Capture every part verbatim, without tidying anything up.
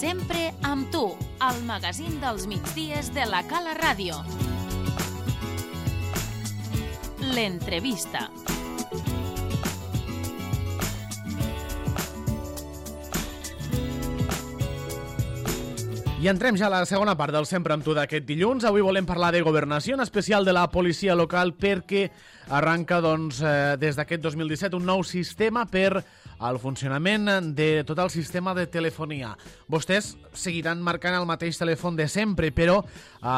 Sempre amb tu, al magazín dels migdies de la Cala Ràdio. L'entrevista. I entrem ja a la segona part del Sempre amb tu d'aquest dilluns. Avui volem parlar de governació, en especial de la policia local, perquè arranca doncs, eh, des d'aquest dos mil disset un nou sistema per al funcionament de tot el sistema de telefonia. Vostès seguiran marcant el mateix telèfon de sempre, però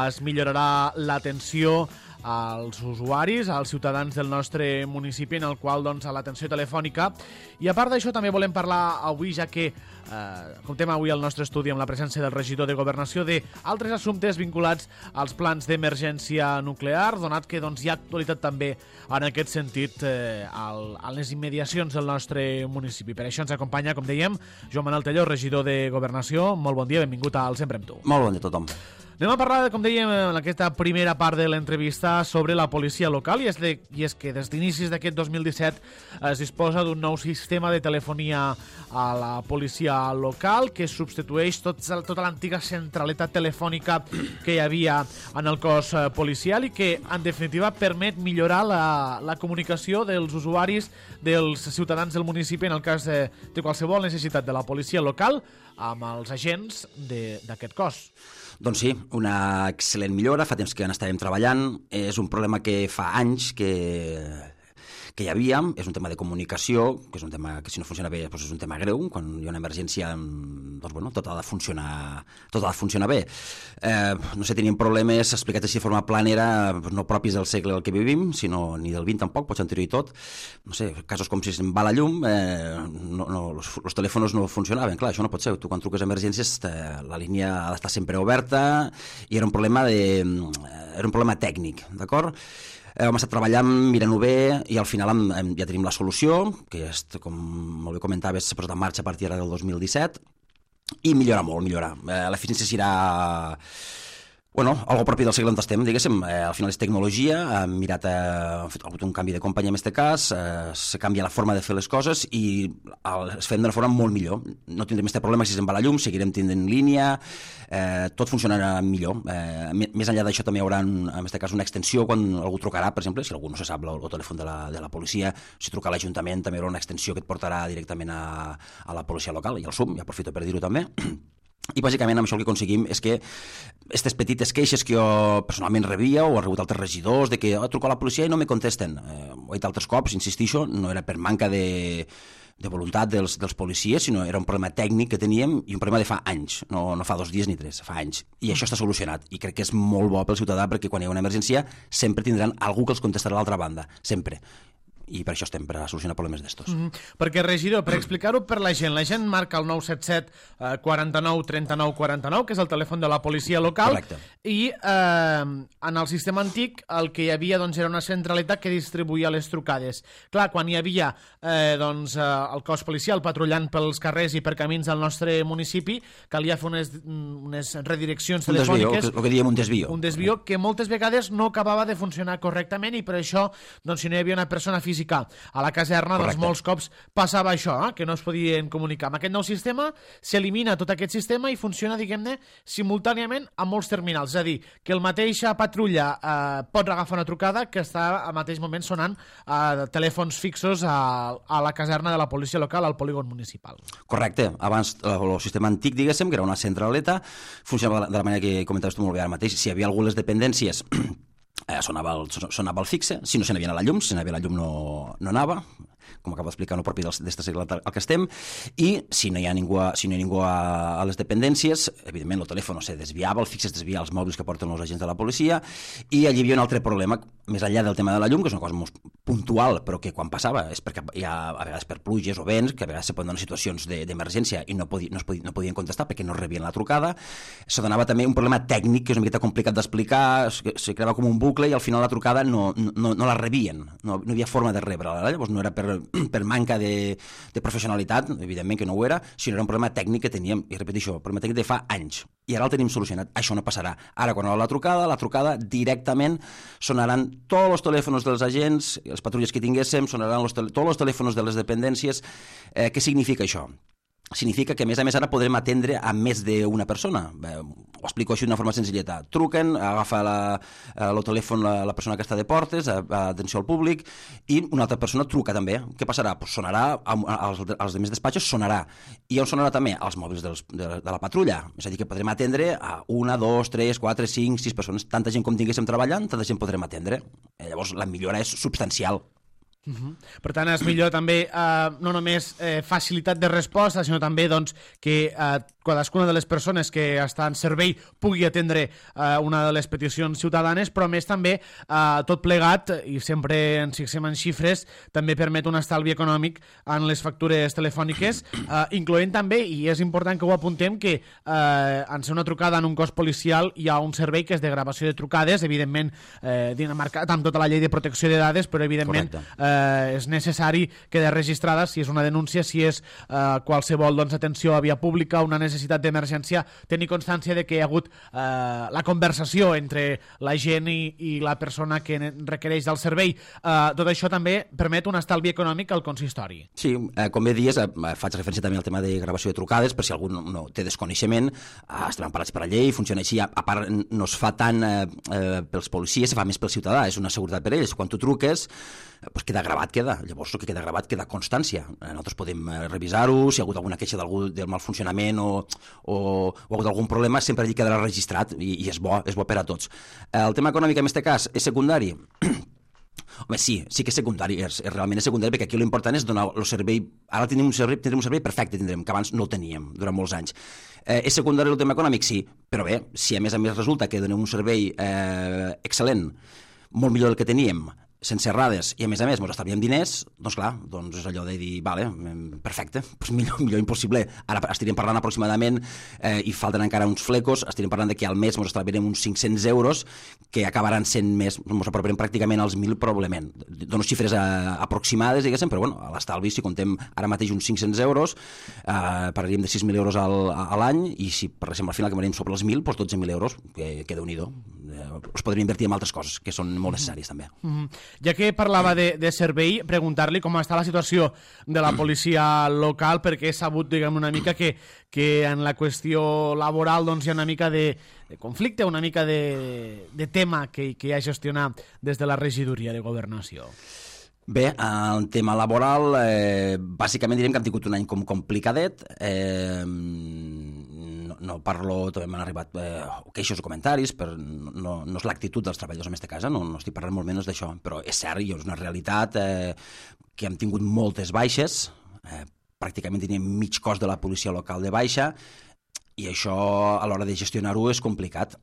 es millorarà l'atenció als usuaris, als ciutadans del nostre municipi, en el qual doncs, a l'atenció telefònica. I a part d'això també volem parlar avui, ja que eh, comptem avui al nostre estudi amb la presència del regidor de Governació, d'altres assumptes vinculats als plans d'emergència nuclear, donat que doncs, hi ha actualitat també en aquest sentit eh, al, a les immediacions del nostre municipi. Per això ens acompanya, com dèiem, Joan Manuel Telló, regidor de Governació. Molt bon dia, benvingut al Sempre amb tu. Molt bon dia a tothom. Anem a parlar, com dèiem, en aquesta primera part de l'entrevista sobre la policia local, i és, de, i és que des d'inicis d'aquest dos mil disset es disposa d'un nou sistema de telefonia a la policia local que substitueix tot, tota l'antiga centraleta telefònica que hi havia en el cos policial i que, en definitiva, permet millorar la, la comunicació dels usuaris, dels ciutadans del municipi, en el cas de, de qualsevol necessitat de la policia local, amb els agents d'aquest cos. Doncs sí, una excel·lent millora, fa temps que en estàvem treballant, és un problema que fa anys que, que hi havia, és un tema de comunicació, que és un tema que si no funciona bé doncs és un tema greu, quan hi ha una emergència doncs bueno, tot ha de funcionar, tot ha de funcionar bé. Eh, no sé, teníem problemes explicats així de forma planera, no propis del segle del que vivim, sinó ni del vint tampoc, pots anterior i tot. No sé, casos com si se'n va la llum, eh, no, no, los, los telèfons no funcionaven, clar, això no pot ser, tu quan truques a emergències eh, la línia ha d'estar sempre oberta i era un problema de, era un problema tècnic, d'acord? Eh, vam estar treballant, mirant-ho bé, i al final hem, hem, ja tenim la solució, que és, com molt bé comentaves, s'ha posat en marxa a partir del dos mil disset, i millora molt, millora. Eh, l'eficiència serà, bueno, algo propi del segle on estem, diguéssim. Eh, al final és tecnologia, hem mirat, eh, ha fet un canvi de companyia en aquest cas, eh, se canvia la forma de fer les coses i el, es fem d'una forma molt millor. No tindrem aquest problema si se'n va la llum, seguirem tenint línia, eh, tot funcionarà millor. Eh, més enllà d'això també hi haurà, en aquest cas, una extensió quan algú trucarà, per exemple, si algú no se sap el, el telèfon de la, de la policia, si truca a l'Ajuntament també hi haurà una extensió que et portarà directament a, a la policia local i al S U M, i aprofito per dir-ho també. I bàsicament amb això el que aconseguim és que aquestes petites queixes que jo personalment rebia o he rebut altres regidors de que oh, truco a la policia i no me contesten, eh, ho he dit altres cops, insistixo, no era per manca de, de voluntat dels, dels policies, sinó era un problema tècnic que teníem i un problema de fa anys, no, no fa dos dies ni tres, fa anys, i això està solucionat i crec que és molt bo pel ciutadà perquè quan hi ha una emergència sempre tindran algú que els contestarà a l'altra banda, sempre. I per això estem, per a solucionar problemes d'estos. Mm-hmm. Perquè, regidor, per explicar-ho per la gent, la gent marca el nou set set quaranta-nou trenta-nou quaranta-nou, que és el telèfon de la policia local. Correcte. I eh, en el sistema antic el que hi havia doncs, era una centralitat que distribuïa les trucades. Clar, quan hi havia eh, doncs, eh, el cos policial patrullant pels carrers i per camins del nostre municipi, calia fer unes, unes redireccions un telefòniques. Desvio, el que diem un desvio. Un desvio que moltes vegades no acabava de funcionar correctament i per això, doncs, si no hi havia una persona física a la caserna, doncs molts cops passava això, eh? que no es podien comunicar. Amb aquest nou sistema s'elimina tot aquest sistema i funciona, diguem-ne, simultàniament a molts terminals. És a dir, que el mateixa patrulla eh, pot agafar una trucada que està al mateix moment sonant eh, telèfons fixos a, a la caserna de la policia local, al polígon municipal. Correcte. Abans, el sistema antic, diguéssim, que era una centraleta, funcionava de la manera que comentaves tu molt bé ara mateix. Si hi havia algú les dependències Eh, sonava, el, sonava el fixe, si no se n'havia a la llum, si n'havia a la llum no, no anava, com acabo d'explicar, no propi d'este segle al que estem, i si no hi ha ningú, a, si no hi ha ningú a, a les dependències, evidentment el telèfon se desviava, el fixe es desvia als mòbils que porten els agents de la policia, i allí hi havia un altre problema, més enllà del tema de la llum, que és una cosa molt puntual, però que quan passava és perquè hi ha a vegades per pluges o vents, que a vegades se poden donar situacions d'emergència de, i no, podi, no, podi, no podien contestar perquè no rebien la trucada, se donava també un problema tècnic que és una miqueta complicat d'explicar, se creava com un bucle i al final la trucada no, no, no la rebien, no, no hi havia forma de rebre-la, llavors no era per, per manca de, de professionalitat, evidentment que no ho era, sinó era un problema tècnic que teníem, i repeteixo, un problema tècnic de fa anys, i ara el tenim solucionat, això no passarà. Ara quan hi ha la trucada, la trucada directament sonaran tots els telèfons dels agents, els patrulles que tinguéssim, sonaran los, tots els telèfons de les dependències. Eh, què significa això? significa que, a més a més, ara podrem atendre a més d'una persona. Bé, ho explico així d'una forma senzilleta. Truquen, agafa la, el telèfon la, la persona que està de portes, a, a atenció al públic, i una altra persona truca també. Què passarà? Pues sonarà, als, als demés despatxos sonarà. I on sonarà també? Als mòbils dels, de, de la patrulla. És a dir, que podrem atendre a una, dos, tres, quatre, cinc, sis persones. Tanta gent com tinguéssim treballant, tanta gent podrem atendre. Eh, llavors, la millora és substancial. Uh-huh. Per tant, és millor també eh, no només eh, facilitat de resposta, sinó també doncs, que eh, cadascuna de les persones que està en servei pugui atendre eh, una de les peticions ciutadanes, però més també eh, tot plegat, i sempre ens fixem en xifres, també permet un estalvi econòmic en les factures telefòniques, eh, incloent també, i és important que ho apuntem, que eh, en ser una trucada en un cos policial hi ha un servei que és de gravació de trucades, evidentment eh, marcat amb tota la llei de protecció de dades, però evidentment eh, és necessari quedar registrada si és una denúncia, si és eh, qualsevol doncs, atenció a via pública, una necessitat d'emergència, tenir constància de que hi ha hagut eh, la conversació entre la gent i, i la persona que requereix del servei. Eh, tot això també permet un estalvi econòmic al consistori. Sí, eh, com bé dies, eh, faig referència també al tema de gravació de trucades, per si algú no, no té desconeixement, eh, estem emparats per la llei, funciona així, a, a part no es fa tant eh, eh, pels policies, se fa més pel ciutadà, és una seguretat per ells. Quan tu truques, pues queda gravat, queda. Llavors el que queda gravat queda constància. Nosaltres podem revisar-ho, si hi ha hagut alguna queixa d'algú del mal funcionament o, o, o ha hagut algun problema, sempre allí quedarà registrat i, i és bo, és bo per a tots. El tema econòmic en aquest cas és secundari. Home, sí, sí que és secundari, és, és realment és secundari, perquè aquí l'important és donar el servei. Ara tindrem un servei, tindrem un servei perfecte, tindrem, que abans no el teníem durant molts anys. Eh, és secundari el tema econòmic? Sí, però bé, si a més a més resulta que donem un servei eh, excel·lent, molt millor del que teníem, sense errades, i a més a més ens estalviem diners, doncs clar, doncs és allò de dir, vale, perfecte, doncs millor, millor impossible. Ara estaríem parlant aproximadament, eh, i falten encara uns flecos, estaríem parlant de que al mes ens estalviarem uns cinc-cents euros, que acabaran sent més, ens aproparem pràcticament als mil probablement. Dono xifres eh, aproximades, diguéssim, però bueno, a l'estalvi, si contem ara mateix uns cinc-cents euros, eh, parlaríem de sis mil euros al, a l'any, i si parléssim al final que m'anem sobre els mil, doncs dotze mil euros, que, que Déu-n'hi-do. Eh, els podríem invertir en altres coses, que són molt necessàries també. Mm-hmm. Ja que parlava de, de servei, preguntar-li com està la situació de la policia local, perquè he sabut, diguem, una mica que, que en la qüestió laboral doncs, hi ha una mica de, de conflicte, una mica de, de tema que, que hi ha a gestionar des de la regidoria de Governació. Bé, el tema laboral, eh, bàsicament direm que hem tingut un any com complicadet, eh, no, no parlo, també m'han arribat eh, queixos o comentaris, però no, no és l'actitud dels treballadors en aquesta casa, no, no estic parlant molt menys d'això, però és cert i és una realitat eh, que hem tingut moltes baixes, eh, pràcticament teníem mig cos de la policia local de baixa, i això a l'hora de gestionar-ho és complicat.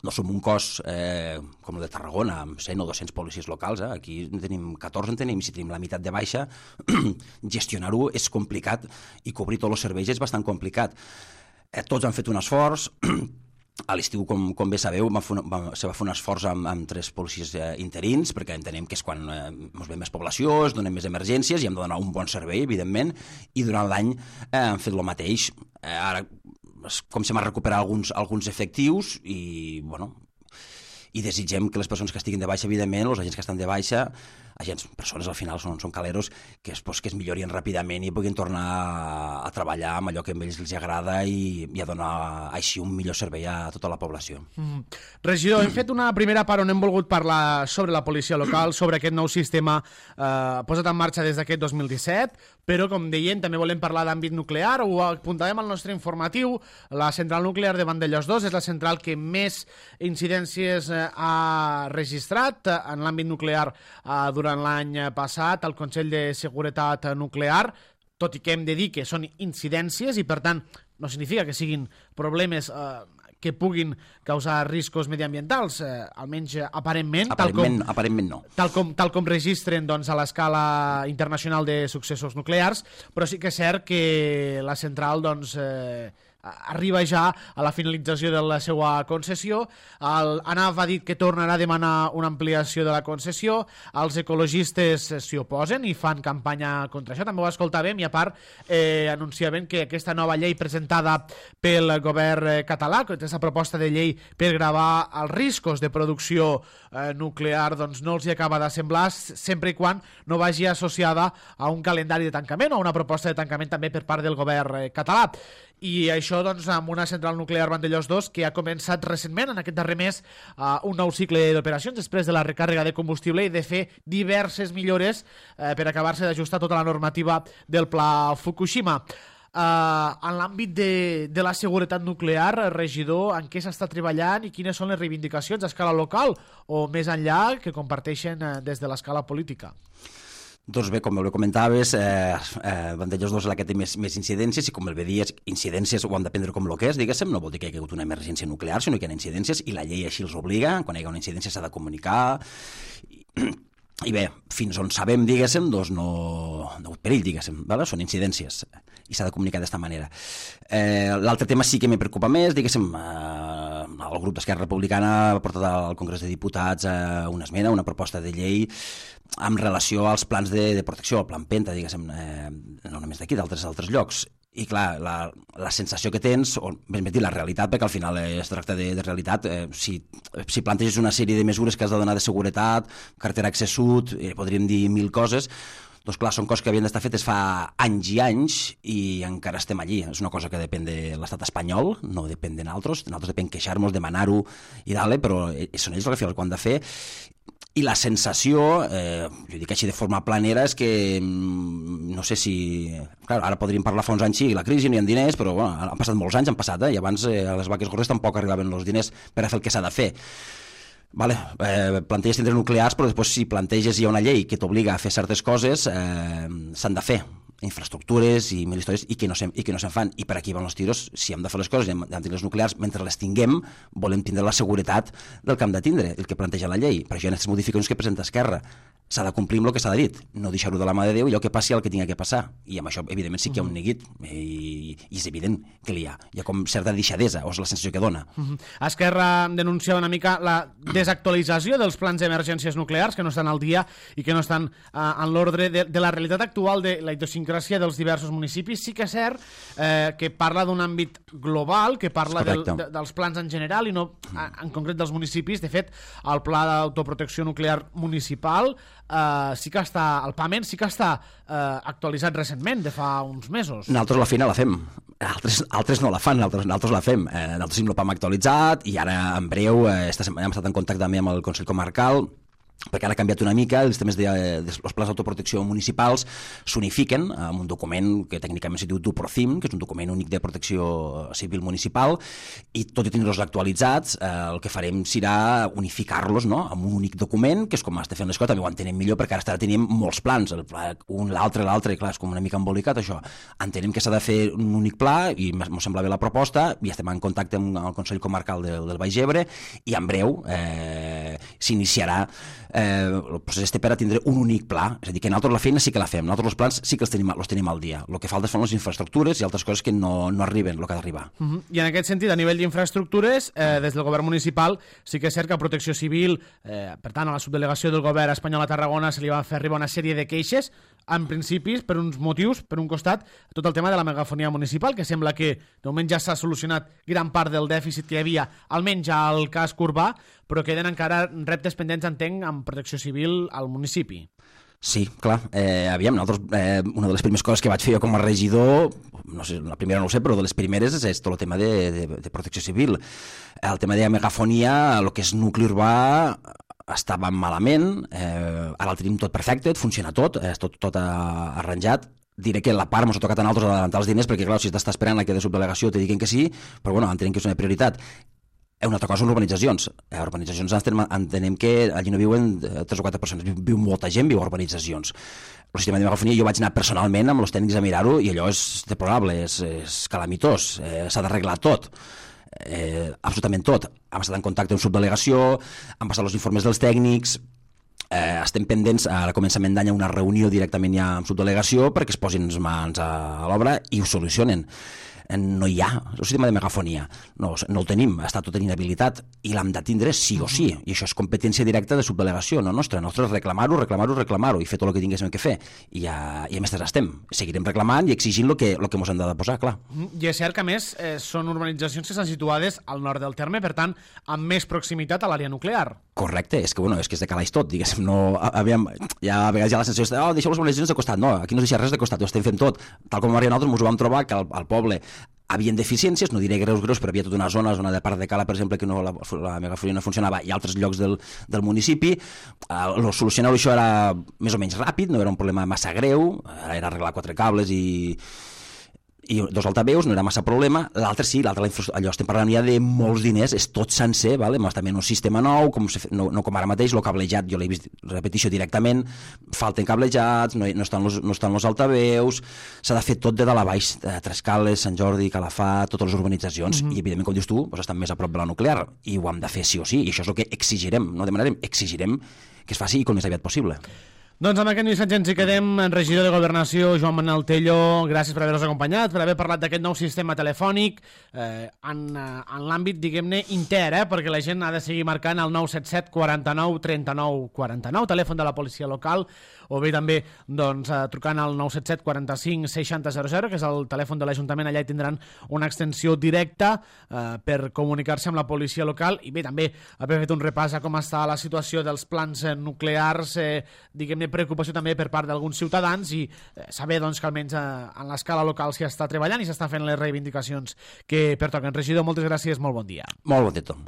No som un cos eh, com el de Tarragona, amb cent o dos-cents policies locals, eh? Aquí en tenim catorze, en tenim, si tenim la meitat de baixa, gestionar-ho és complicat i cobrir tots els serveis és bastant complicat. Eh, tots han fet un esforç, a l'estiu, com, com bé sabeu, va fer, va, se va fer un esforç amb, amb tres policies eh, interins, perquè entenem que és quan eh, ens ve més població, es donen més emergències i hem de donar un bon servei, evidentment, i durant l'any eh, han fet el mateix. Eh, ara, com se m'ha recuperat alguns, alguns efectius i, bueno, i desitgem que les persones que estiguin de baixa, evidentment, els agents que estan de baixa, agents, persones al final són, són caleros, que es, pues, que es millorin ràpidament i puguin tornar a, a treballar amb allò que a ells els agrada i, i a donar així un millor servei a tota la població. Mm. Regidor, hem fet una primera part on hem volgut parlar sobre la policia local, sobre aquest nou sistema eh, posat en marxa des d'aquest dos mil disset, però, com deien, també volem parlar d'àmbit nuclear, ho apuntàvem al nostre informatiu. La central nuclear de Vandellòs dos és la central que més incidències eh, ha registrat eh, en l'àmbit nuclear eh, durant l'any passat al Consell de Seguretat Nuclear, tot i que hem de dir que són incidències i, per tant, no significa que siguin problemes eh, que puguin causar riscos mediambientals, eh, almenys aparentment, aparentment, tal com, aparentment no. tal com, tal com registren doncs, a l'escala internacional de successos nuclears, però sí que és cert que la central doncs, eh, arriba ja a la finalització de la seva concessió. El ANAF ha dit que tornarà a demanar una ampliació de la concessió. Els ecologistes s'hi oposen i fan campanya contra això, també ho escoltàvem, i a part eh, anunciaven que aquesta nova llei presentada pel govern català, aquesta proposta de llei per gravar els riscos de producció eh, nuclear, doncs no els hi acaba de semblar, sempre i quan no vagi associada a un calendari de tancament o a una proposta de tancament també per part del govern eh, català. I això doncs amb una central nuclear Vandellòs dos que ha començat recentment, en aquest darrer mes, uh, un nou cicle d'operacions després de la recàrrega de combustible i de fer diverses millores uh, per acabar-se d'ajustar tota la normativa del pla Fukushima. Uh, en l'àmbit de, de la seguretat nuclear, regidor, en què s'està treballant i quines són les reivindicacions a escala local o més enllà que comparteixen uh, des de l'escala política? Doncs bé, com bé comentaves, eh, eh, Vandellòs dos és la que té més, més incidències i com el bé dies, incidències ho hem de prendre com el que és, diguéssim, no vol dir que hi hagi hagut una emergència nuclear, sinó que hi ha incidències i la llei així els obliga, quan hi ha una incidència s'ha de comunicar i, i bé, fins on sabem, diguéssim, doncs no, no perill, diguéssim, vale? Són incidències i s'ha de comunicar d'esta manera. Eh, L'altre tema sí que me preocupa més, diguéssim, eh, el grup d'Esquerra Republicana ha portat al Congrés de Diputats eh, una esmena, una proposta de llei amb relació als plans de, de protecció, el plan Penta, diguéssim, eh, no només d'aquí, d'altres altres llocs. I clar, la, la sensació que tens, o més ben dit, la realitat, perquè al final es tracta de, de realitat, eh, si, si planteges una sèrie de mesures que has de donar de seguretat, cartera accés sud, eh, podríem dir mil coses, doncs clar, són coses que havien d'estar fetes fa anys i anys i encara estem allí. És una cosa que depèn de l'estat espanyol, no depèn de nosaltres, de nosaltres depèn queixar-nos, demanar-ho i dale, però són ells el que al final ho han de fer. I la sensació, eh, jo dic així de forma planera, és que no sé si... Clar, ara podríem parlar fa uns anys, sí, la crisi, no hi ha diners, però bueno, han passat molts anys, han passat, eh? I abans eh, a les vaques gordes tampoc arribaven els diners per a fer el que s'ha de fer. Vale, eh, planteges tindre nuclears, però després si planteges hi ha una llei que t'obliga a fer certes coses, eh, s'han de fer infraestructures i mil històries i que no se'n i que no se'n fan. I per aquí van els tiros, si hem de fer les coses i hem de tenir les nuclears, mentre les tinguem, volem tindre la seguretat del que hem de tindre, el que planteja la llei. Per això hi ha aquestes modificacions que presenta Esquerra. S'ha de complir amb el que s'ha de dir, no deixar-ho de la mà de Déu i allò que passi el que tinga que passar. I amb això, evidentment, sí que hi ha un neguit i, i és evident que hi ha. Hi ha com certa deixadesa, o és la sensació que dona. Uh-huh. Esquerra denunciava una mica la desactualització dels plans d'emergències nuclears que no estan al dia i que no estan uh, en l'ordre de, de la realitat actual de la idiosincràsia dels diversos municipis. Sí que és cert eh, que parla d'un àmbit global, que parla del, de, dels plans en general i no en concret dels municipis. De fet, el pla d'autoprotecció nuclear municipal Uh, sí que està, el PAMEN sí que està uh, actualitzat recentment, de fa uns mesos. Nosaltres la feina la fem, altres, altres no la fan, nosaltres, nosaltres la fem. Eh, nosaltres tenim el PAM actualitzat i ara en breu eh, esta setmana hem estat en contacte també amb el Consell Comarcal, perquè ara ha canviat una mica, els temes de, de els plans d'autoprotecció municipals s'unifiquen amb un document que tècnicament se diu DUPROCIM, que és un document únic de protecció civil municipal, i tot i tenir-los actualitzats, eh, el que farem serà unificar-los, no?, amb un únic document, que és com està fent les coses, també ho entenem millor, perquè ara tenim molts plans, el pla, un, l'altre, l'altre, i clar, és com una mica embolicat això. Entenem que s'ha de fer un únic pla, i m'ho sembla bé la proposta, i estem en contacte amb el Consell Comarcal del, del Baix Ebre, i en breu eh, s'iniciarà Eh, el procés té per a tindre un únic pla, és a dir, que nosaltres la feina sí que la fem, nosaltres els plans sí que els tenim, els tenim al dia, el que falta són les infraestructures i altres coses que no, no arriben el que ha d'arribar. Uh-huh. I en aquest sentit, a nivell d'infraestructures, eh, des del govern municipal sí que és cert que a Protecció Civil, eh, per tant a la subdelegació del govern espanyol a Tarragona se li va fer arribar una sèrie de queixes, en principis, per uns motius, per un costat, tot el tema de la megafonia municipal, que sembla que de moment ja s'ha solucionat gran part del dèficit que hi havia, almenys al casc urbà, però queden encara reptes pendents, entenc, amb Protecció Civil al municipi. Sí, clar. Eh, aviam, nosaltres, eh, una de les primeres coses que vaig fer jo com a regidor, no sé, la primera no ho sé, però de les primeres és, és tot el tema de, de, de protecció civil. El tema de megafonia, el que és nucli urbà, estava malament, eh, ara el tenim tot perfecte, funciona tot, és tot, tot arranjat. Diré que la part ens ha tocat a nosaltres adelantar els diners, perquè clar, si t'està esperant la que de subdelegació te diguin que sí, però bueno, entenem que és una prioritat. Una altra cosa són urbanitzacions. A urbanitzacions entenem, entenem que allí no viuen tres o quatre persones, viu molta gent, viu a urbanitzacions. El sistema de megafonia jo vaig anar personalment amb els tècnics a mirar-ho i allò és deplorable, és, és calamitós, eh, s'ha d'arreglar tot, eh, absolutament tot. Hem estat en contacte amb subdelegació, han passat els informes dels tècnics, eh, estem pendents, a començament d'any una reunió directament ja amb subdelegació perquè es posin les mans a, a l'obra i ho solucionen. no hi ha el sistema de megafonia, no, no el tenim, està tot en inhabilitat i l'hem de tindre sí o sí, i això és competència directa de subdelegació, no nostra, nostra és reclamar-ho, reclamar-ho, reclamar-ho i fer tot el que tinguéssim que fer, i, ja, i a més estem, seguirem reclamant i exigint el que, el que ens hem de posar, clar. I és cert que a més eh, són urbanitzacions que estan situades al nord del terme, per tant, amb més proximitat a l'àrea nuclear. Correcte, és que, bueno, és que és de calaix tot, diguéssim, no, aviam, ja a vegades hi ha la sensació de, oh, deixeu les urbanitzacions de costat, no, aquí no es deixa res de costat, ho estem fent tot, tal com Maria nosaltres ens ho vam trobar que al, al poble havien deficiències, no diré greus, greus, però havia tota una zona, zona de Part de Cala, per exemple, que no, la, la megafonia no funcionava, i altres llocs del, del municipi. Uh, solucionar això era més o menys ràpid, no era un problema massa greu, era arreglar quatre cables i i dos altaveus, no era massa problema. L'altre sí, l'altre, allò estem parlant ja de molts diners, és tot sencer, vale? També en un sistema nou, com se, no, no com ara mateix, el cablejat, jo l'he vist, repetició directament, falten cablejats, no, no, estan los, no estan els altaveus, s'ha de fer tot de dalt a baix, de Trescales, Sant Jordi, Calafat, totes les urbanitzacions, mm -hmm. i evidentment, com dius tu, doncs estan més a prop de la nuclear, i ho hem de fer sí o sí, i això és el que exigirem, no demanarem, exigirem que es faci i com més aviat possible. Doncs amb aquest missatge ens hi quedem. Regidor de Governació, Joan Manel Tello, gràcies per haver-nos acompanyat, per haver parlat d'aquest nou sistema telefònic eh, en, en l'àmbit, diguem-ne, inter, eh, perquè la gent ha de seguir marcant el nou set set quaranta-nou trenta-nou quaranta-nou, telèfon de la policia local, o bé també doncs, eh, trucant al nou set set quaranta-cinc seixanta zero zero, que és el telèfon de l'Ajuntament. Allà hi tindran una extensió directa eh, per comunicar-se amb la policia local, i bé, també haver fet un repàs a com està la situació dels plans eh, nuclears, eh, diguem-ne, preocupació també per part d'alguns ciutadans, i eh, saber doncs, que almenys eh, en l'escala local s'hi està treballant i s'estan fent les reivindicacions que pertoquen. Regidor, moltes gràcies, molt bon dia. Molt bon dia, Tom.